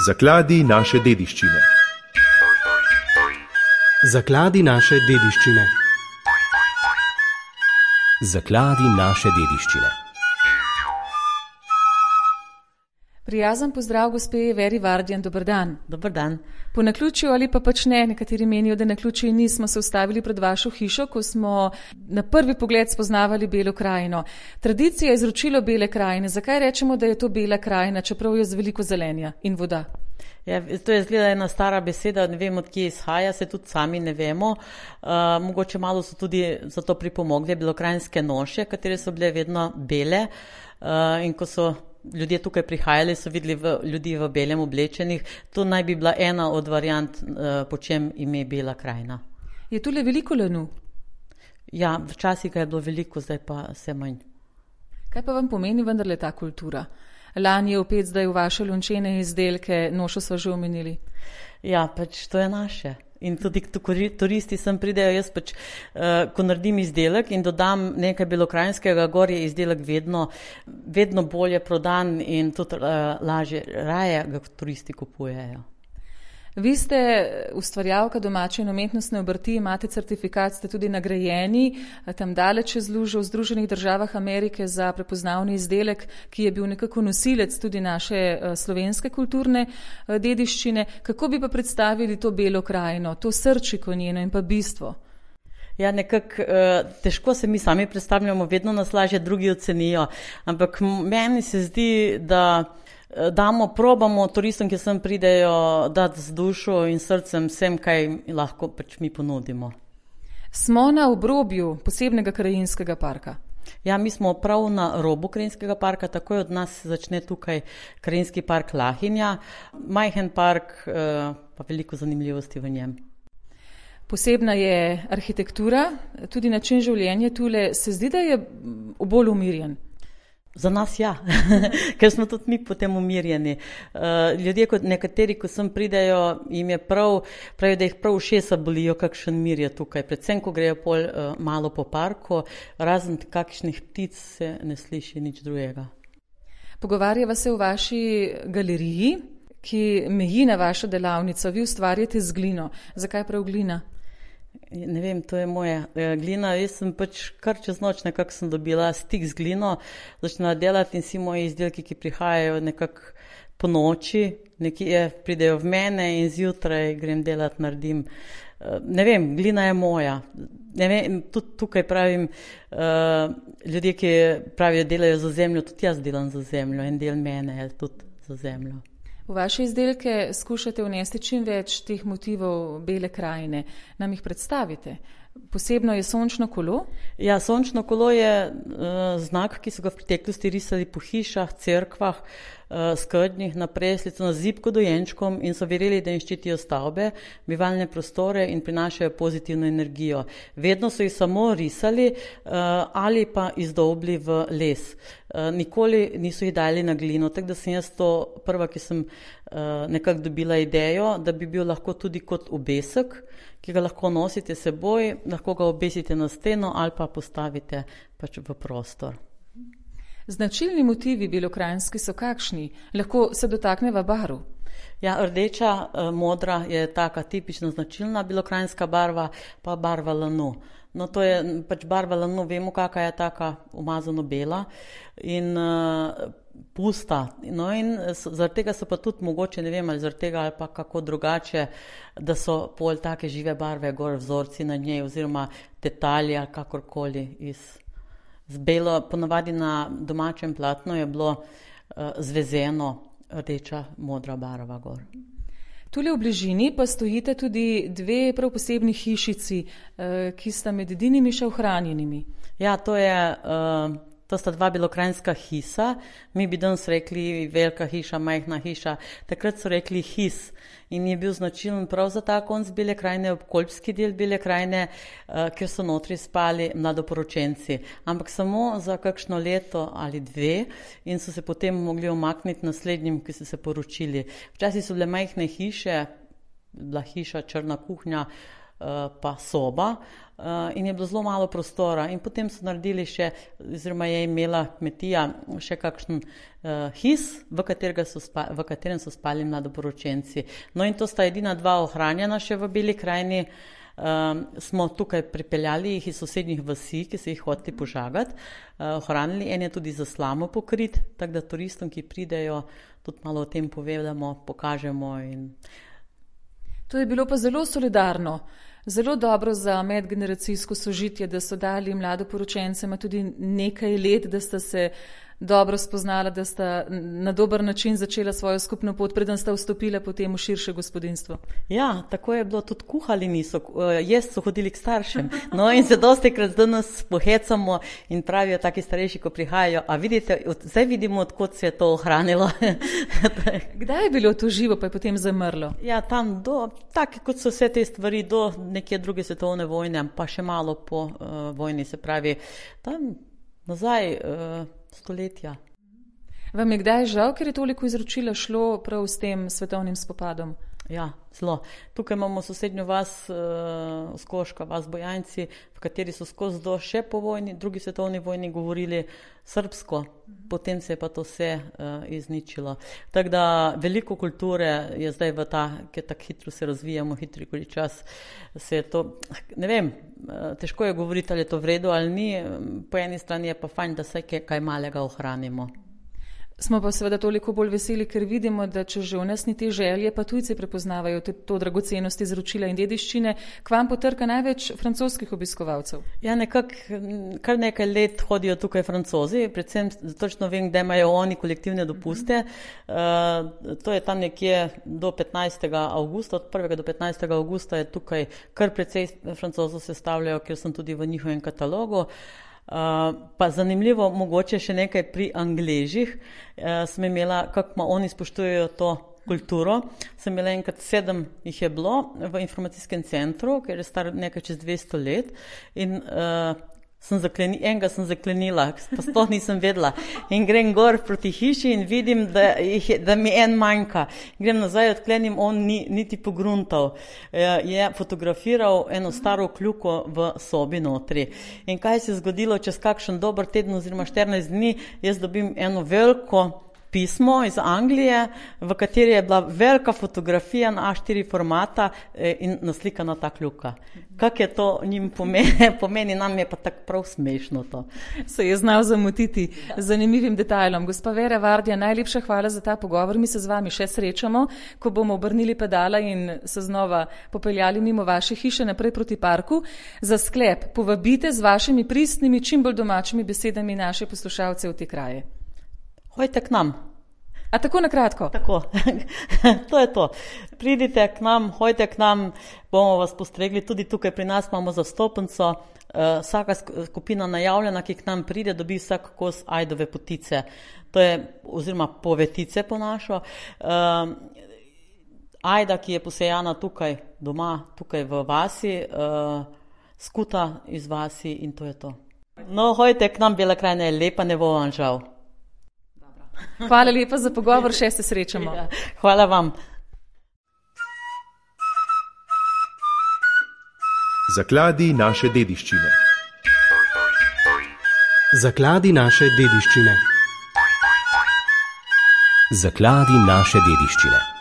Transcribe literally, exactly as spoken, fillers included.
Zakladi naše dediščine. Zakladi naše dediščine. Zakladi naše dediščine. Prijazen pozdrav gospe Veri Vardjan, dober dan. Dober dan. Po naključju ali pa pač ne, nekateri menijo, da naključje ni, smo se ustavili pred vašo hišo, ko smo na prvi pogled spoznavali Belo krajino. Tradicija je izročilo Bele krajine. Zakaj rečemo, da je to Bela krajina, čeprav je z veliko zelenja in voda? Ja, to je zgleda ena stara beseda, ne vem, od kje izhaja, se tudi sami ne vemo. Uh, mogoče malo so tudi za to pripomogli belokrajinske noše, katere so bile vedno bele uh, in ko so ljudje tukaj prihajali, so videli v, ljudi v belem oblečenih. To naj bi bila ena od variant, uh, po čem ime Bela krajina. Je tule veliko lanu? Ja, včasih ga je bilo veliko, zdaj pa vse manj. Kaj pa vam pomeni vendarle ta kultura? Lan je opet zdaj v vaše lončene izdelke, nošo sva že omenili. Ja, pač to je naše. In tudi turisti sem pridejo, jaz pač, uh, ko naredim izdelek in dodam nekaj belokrajinskega, gor je izdelek vedno, vedno bolje prodan in tudi uh, lažje, raje ga turisti kupujejo. Vi ste ustvarjalka domače in umetnostne obrti, imate certifikat, ste tudi nagrajeni, tam daleč čez lužo v Združenih državah Amerike za prepoznavni izdelek, ki je bil nekako nosilec tudi naše slovenske kulturne dediščine. Kako bi pa predstavili to Belo krajino, to srčiko njeno in pa bistvo? Ja, nekako težko se mi sami predstavljamo, vedno nas lažje drugi ocenijo, ampak meni se zdi, da damo, probamo turistom, ki sem pridejo, dati z dušo in srcem vsem, kaj lahko pač mi ponudimo. Smo na obrobju posebnega krajinskega parka. Ja, mi smo prav na robu krajinskega parka, takoj od nas začne tukaj krajinski park Lahinja, majhen park, pa veliko zanimivosti v njem. Posebna je arhitektura, tudi način življenja tule. Se zdi, da je bolj umirjen? Za nas ja, ker smo tudi mi potem umirjeni. Uh, ljudje, kot nekateri, ko sem pridejo, jim je prav, pravijo, da jih prav ušesa bolijo, kakšen mir je tukaj. Predvsem, ko grejo pol uh, malo po parku, razen kakšnih ptic se ne sliši nič drugega. Pogovarjava se v vaši galeriji, ki meji na vašo delavnico. Vi ustvarjate z glino. Zakaj prav glina? Ne vem, to je moja glina. Jaz sem pač kar čez noč nekako sem dobila stik z glino, začela delati in vsi moji izdelki, ki prihajajo nekako po noči, nekje pridejo v mene in zjutraj grem delati, naredim. Ne vem, glina je moja. Ne vem, tudi tukaj pravim, ljudje, ki pravijo, delajo za zemljo, tudi jaz delam za zemljo, en del mene je tudi za zemljo. V vaše izdelke skušate vnesti čim več teh motivov Bele krajine. Nam jih predstavite. Posebno je sončno kolo? Ja, sončno kolo je uh, znak, ki so ga v preteklosti risali po hišah, cerkvah, uh, skednjih, na preslico, na zibko dojenčkom in so verili, da jim ščitijo stavbe, bivalne prostore in prinašajo pozitivno energijo. Vedno so jih samo risali uh, ali pa izdobli v les. Uh, nikoli niso jih dali na glino, tako da sem jaz to prva, ki sem uh, nekako dobila idejo, da bi bil lahko tudi kot obesek, ki ga lahko nosite seboj, lahko ga obesite na steno ali pa postavite pač v prostor. Značilni motivi belokrajinski so kakšni? Lahko se dotakneva barv? Ja, rdeča, modra je taka tipična značilna belokrajinska barva, pa barva lanu. No, to je pač barva lanu, vemo, kakva je taka umazano bela in uh, pusta. No in zaradi tega so pa tudi mogoče, ne vem, ali zaradi tega ali pa kako drugače, da so pol take žive barve, gor vzorci na njej oziroma detalji ali kakorkoli iz, z belo. Ponavadi na domačem platnu je bilo uh, zvezeno rdeča, modra barva gor. Tule v bližini pa stojite tudi dve prav posebni hišici, ki sta med edinimi še ohranjenimi. Ja, to je, to sta dva belokrajinska hisa. Mi bi danes rekli velika hiša, majhna hiša. Takrat so rekli his in je bil značilen prav za ta konc Bele krajine, obkolpski del Bele krajine, kjer so notri spali mladoporočenci. Ampak samo za kakšno leto ali dve in so se potem mogli omakniti naslednjim, ki so se poročili. Včasih so bile majhne hiše, bila hiša, črna kuhnja, pa soba. Uh, in je bilo zelo malo prostora in potem so naredili še, oziroma je imela kmetija še kakšen uh, his, v, so spa, v katerem so spali mladoporočenci. No in to sta edina dva ohranjena še v Beli krajini. Um, smo tukaj pripeljali jih iz sosednjih vasi, ki so jih hoteli požagati, uh, ohranili, en je tudi za slamo pokrit, tako da turistom, ki pridejo, tudi malo o tem povedamo, pokažemo. In... To je bilo pa zelo solidarno. Zelo dobro za medgeneracijsko sožitje, da so dali mladoporočencema tudi nekaj let, da sta se dobro spoznala, da sta na dober način začela svojo skupno pot, preden sta vstopila potem v širše gospodinstvo. Ja, tako je bilo, tudi kuhali niso, jaz so hodili k staršem. No in se dosti krat danes pohecamo in pravijo taki starejši, ko prihajajo, a vidite, zdaj vidimo, odkot se je to ohranilo. Kdaj je bilo to živo, pa je potem zamrlo? Ja, tam do, tako kot so vse te stvari, do neke druge svetovne vojne, pa še malo po uh, vojni, se pravi, tam nazaj uh, stoletja. Vam je kdaj žal, ker je toliko izročila šlo prav s tem svetovnim spopadom? Ja, zelo. Tukaj imamo sosednjo vas, uh, Skoška, vas Bojanci, v kateri so skozi do še po vojni, drugi svetovni vojni govorili srbsko, potem se je pa to vse uh, izničilo. Tako da veliko kulture je zdaj v ta, ker tako hitro se razvijamo, hitri koli čas se je to, ne vem, uh, težko je govoriti, ali je to v redu ali ni, po eni strani je pa fajn, da se kaj malega ohranimo. Smo pa seveda toliko bolj veseli, ker vidimo, da če že v nas ni te želje, pa tujci prepoznavajo to, to dragocenost izročila in dediščine, k vam potrka največ francoskih obiskovalcev. Ja, nekako, kar nekaj let hodijo tukaj Francozi, predvsem točno vem, da imajo oni kolektivne dopuste. Uh, to je tam nekje do petnajstega avgusta, od prvega do petnajstega avgusta je tukaj kar precej Francozov sestavljajo, ker sem tudi v njihovem katalogu. Uh, pa zanimljivo, mogoče še nekaj pri Angležih, uh, sem imela, kako oni spoštujejo to kulturo, sem imela enkrat sedem jih je bilo v informacijskem centru, ker je star nekaj čez dvesto let in uh, sem zakleni, enega sem zaklenila, pa sploh nisem vedela in grem gor proti hiši in vidim, da, jih je, da mi en manjka. Grem nazaj, odklenim, on ni, niti pogruntal. Je fotografiral eno staro kljuko v sobi notri. In kaj se je zgodilo, čez kakšen dober teden oziroma štirinajst dni, jaz dobim eno veliko pismo iz Anglije, v kateri je bila velika fotografija na A štiri formata in naslikana ta kljuka. Kak je to njim pomeni, pomeni nam je pa tako prav smešno to. Se je znal zamotiti z zanimivim detajlom. Gospa Vera Vardja, najlepša hvala za ta pogovor. Mi se z vami še srečamo, ko bomo obrnili pedala in se znova popeljali mimo vaše hiše naprej proti parku. Za sklep povabite z vašimi pristnimi, čim bolj domačimi besedami naše poslušalce v te kraje. Hojte k nam. A tako na kratko? Tako, to je to. Pridite k nam, hojte k nam, bomo vas postregli. Tudi tukaj pri nas imamo zastopnico. Uh, vsaka skupina najavljena, ki k nam pride, dobi vsak kos ajdove potice. To je, oziroma povetice po našo. Uh, ajda, ki je posejana tukaj doma, tukaj v vasi, uh, skuta iz vasi in to je to. No, hojte k nam, Bela krajina je lepa, ne bo vam žal. Hvala lepa za pogovor, še se srečamo. Ja, hvala vam. Zakladi naše dediščine. Zakladi naše dediščine. Zakladi naše dediščine.